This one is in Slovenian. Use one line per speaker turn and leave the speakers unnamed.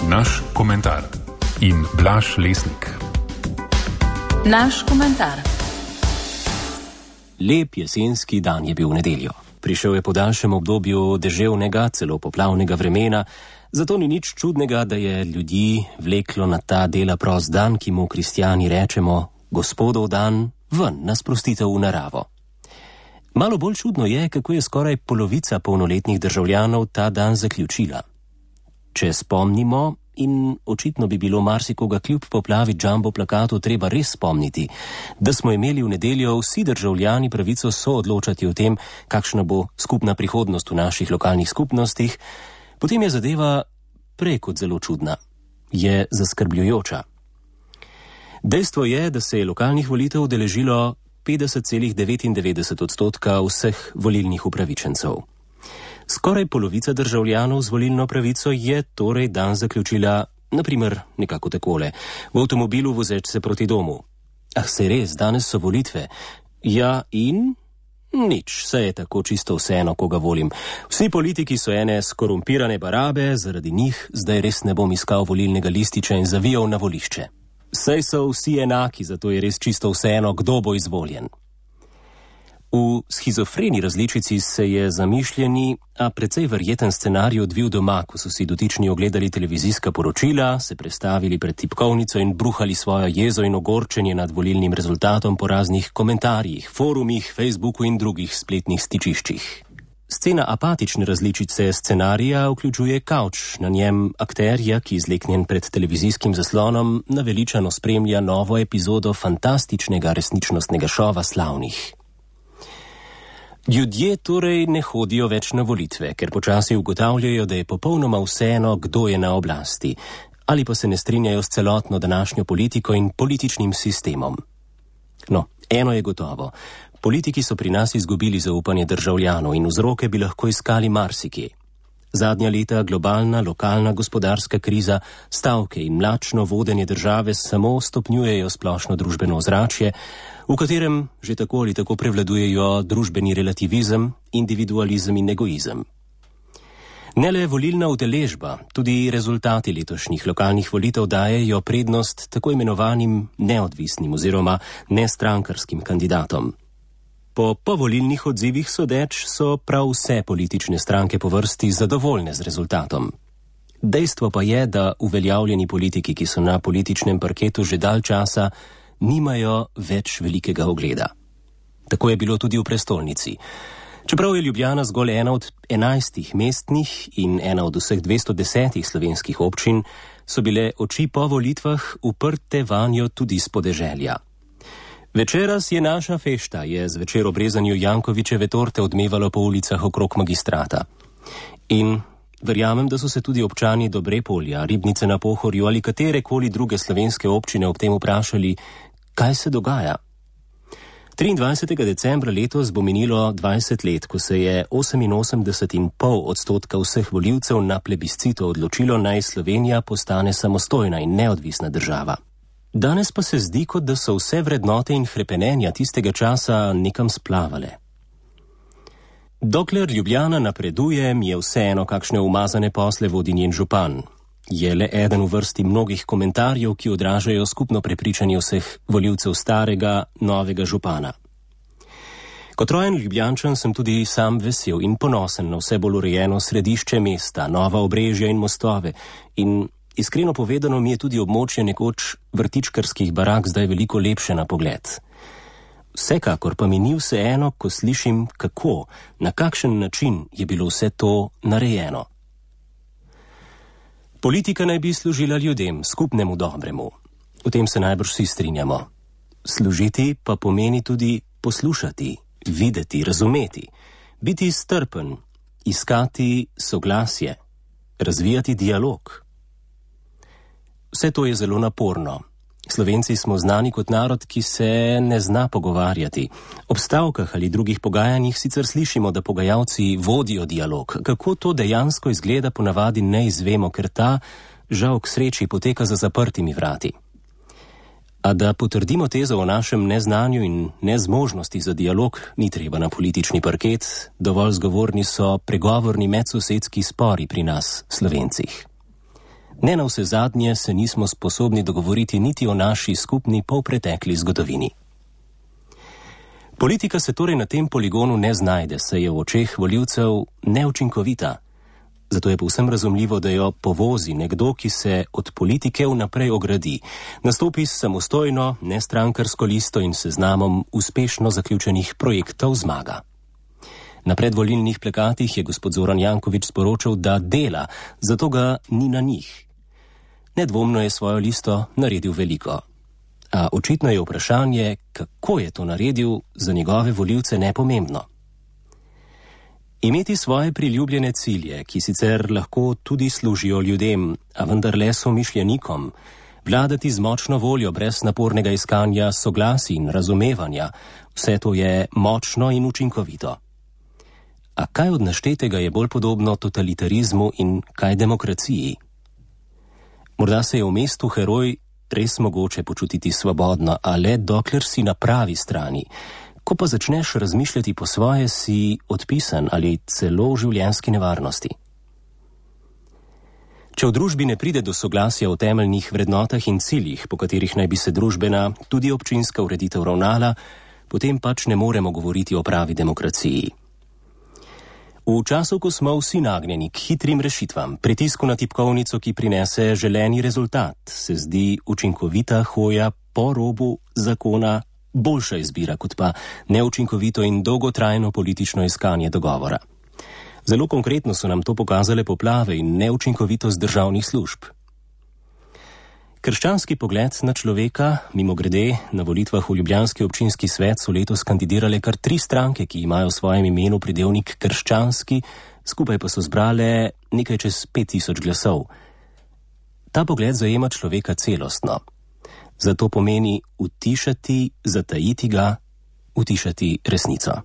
Naš komentar in Blaž Lesnik.
Naš komentar.
Lep jesenski dan je bil v nedeljo. Prišel je po daljšem obdobju deževnega, celo poplavnega vremena, zato ni nič čudnega, da je ljudi vleklo na ta dela prost dan, ki mu kristjani rečemo Gospodov dan, ven na sprostitev v naravo. Malo bolj čudno je, kako je skoraj polovica polnoletnih državljanov ta dan zaključila. Če spomnimo, in očitno bi bilo marsikoga kljub poplavi jumbo plakatu treba res spomniti, da smo imeli v nedeljo vsi državljani pravico soodločati o tem, kakšna bo skupna prihodnost v naših lokalnih skupnostih, potem je zadeva prej kot zelo čudna. Je zaskrbljujoča. Dejstvo je, da se je lokalnih volitev udeležilo 50,99% vseh volilnih upravičencev. Skoraj polovica državljanov z volilno pravico je torej dan zaključila, naprimer, nekako takole. V avtomobilu vozeč se proti domu. Ah, se res, danes so volitve. Ja in? Nič, se je tako čisto vseeno, koga volim. Vsi politiki so ene skorumpirane barabe, zaradi njih zdaj res ne bom iskal volilnega lističa in zavijal na volišče. Saj so vsi enaki, zato je res čisto vseeno, kdo bo izvoljen. V shizofreni različici se je zamišljeni, a precej verjeten scenarij odvil doma, ko so si dotični ogledali televizijska poročila, se prestavili pred tipkovnico in bruhali svojo jezo in ogorčenje nad volilnim rezultatom po raznih komentarjih, forumih, Facebooku in drugih spletnih stičiščih. Scena apatične različice scenarija vključuje kavč, na njem akterja, ki izleknjen pred televizijskim zaslonom naveličano spremlja novo epizodo fantastičnega resničnostnega šova Slavnih. Ljudje torej ne hodijo več na volitve, ker počasi ugotavljajo, da je popolnoma vseeno, kdo je na oblasti, ali pa se ne strinjajo s celotno današnjo politiko in političnim sistemom. No, eno je gotovo. Politiki so pri nas izgubili zaupanje državljanov in vzroke bi lahko iskali marsikje. Zadnja leta globalna, lokalna gospodarska kriza, stavke in mlačno vodenje države samo stopnjujejo splošno družbeno ozračje, v katerem že tako ali tako prevladujejo družbeni relativizem, individualizem in egoizem. Ne le volilna udeležba, tudi rezultati letošnjih lokalnih volitev dajejo prednost tako imenovanim neodvisnim oziroma nestrankarskim kandidatom. Po povolilnih odzivih sodeč so prav vse politične stranke po vrsti zadovoljne z rezultatom. Dejstvo pa je, da uveljavljeni politiki, ki so na političnem parketu že dalj časa, nimajo več velikega ugleda. Tako je bilo tudi v prestolnici. Čeprav je Ljubljana zgolj ena od 11 mestnih in ena od vseh 210 slovenskih občin, so bile oči po volitvah uprte vanjo tudi s podeželja. Večeras je naša fešta, je zvečer ob rezanju Jankovićeve torte odmevalo po ulicah okrog Magistrata. In verjamem, da so se tudi občani Dobrepolja, Ribnice na Pohorju ali katerekoli druge slovenske občine ob tem vprašali, kaj se dogaja. 23. decembra letos bo minilo 20 let, ko se je 88,5% vseh volivcev na plebiscitu odločilo, naj Slovenija postane samostojna in neodvisna država. Danes pa se zdi, kot da so vse vrednote in hrepenenja tistega časa nekam splavale. Dokler Ljubljana napreduje, mi je vseeno, kakšne umazane posle vodi njen župan. Je le eden v vrsti mnogih komentarjev, ki odražajo skupno prepričanje vseh volivcev starega, novega župana. Kot rojen Ljubljančan sem tudi sam vesel in ponosen na vse bolj urejeno središče mesta, nova obrežja in mostove in iskreno povedano mi je tudi območje nekoč vrtičkarskih barak zdaj veliko lepše na pogled. Vsekakor pa mi ni vseeno, ko slišim, kako, na kakšen način je bilo vse to narejeno. Politika naj bi služila ljudem, skupnemu dobremu. V tem se najbrž vsi strinjamo. Služiti pa pomeni tudi poslušati, videti, razumeti, biti strpen, iskati soglasje, razvijati dialog. Vse to je zelo naporno. Slovenci smo znani kot narod, ki se ne zna pogovarjati. Ob stavkah ali drugih pogajanjih sicer slišimo, da pogajalci vodijo dialog. Kako to dejansko izgleda, ponavadi ne izvemo, ker ta, žal k sreči, poteka za zaprtimi vrati. A da potrdimo tezo o našem neznanju in nezmožnosti za dialog, ni treba na politični parket, dovolj zgovorni so pregovorni medsosedski spori pri nas, Slovencih. Ne navsezadnje se nismo sposobni dogovoriti niti o naši skupni polpretekli zgodovini. Politika se torej na tem poligonu ne znajde, saj je v očeh volivcev neučinkovita. Zato je povsem razumljivo, da jo povozi nekdo, ki se od politike vnaprej ogradi, nastopi s samostojno, nestrankarsko listo in seznamom uspešno zaključenih projektov zmaga. Na predvolilnih plakatih je gospod Zoran Janković sporočal, da dela, zato ga ni na njih. Nedvomno je svojo listo naredil veliko. A očitno je vprašanje, kako je to naredil, za njegove volivce nepomembno. Imeti svoje priljubljene cilje, ki sicer lahko tudi služijo ljudem, a vendar le somišljenikom, vladati z močno voljo brez napornega iskanja soglasij in razumevanja, vse to je močno in učinkovito. A kaj od naštetega je bolj podobno totalitarizmu in kaj demokraciji? Morda se je v mestu heroj res mogoče počutiti svobodno, a le dokler si na pravi strani. Ko pa začneš razmišljati po svoje, si odpisan ali celo v življenjski nevarnosti. Če v družbi ne pride do soglasja o temeljnih vrednotah in ciljih, po katerih naj bi se družbena, tudi občinska ureditev ravnala, potem pač ne moremo govoriti o pravi demokraciji. V času, ko smo vsi nagnjeni k hitrim rešitvam, pritisku na tipkovnico, ki prinese želeni rezultat, se zdi učinkovita hoja po robu zakona boljša izbira, kot pa neučinkovito in dolgotrajno politično iskanje dogovora. Zelo konkretno so nam to pokazale poplave in neučinkovitost državnih služb. Krščanski pogled na človeka, mimogrede, na volitvah v ljubljanski občinski svet so letos kandidirale kar 3 stranke, ki imajo v svojem imenu pridevnik krščanski, skupaj pa so zbrale nekaj čez 5000 glasov. Ta pogled zajema človeka celostno. Zato pomeni utišati, zatajiti ga, utišati resnico.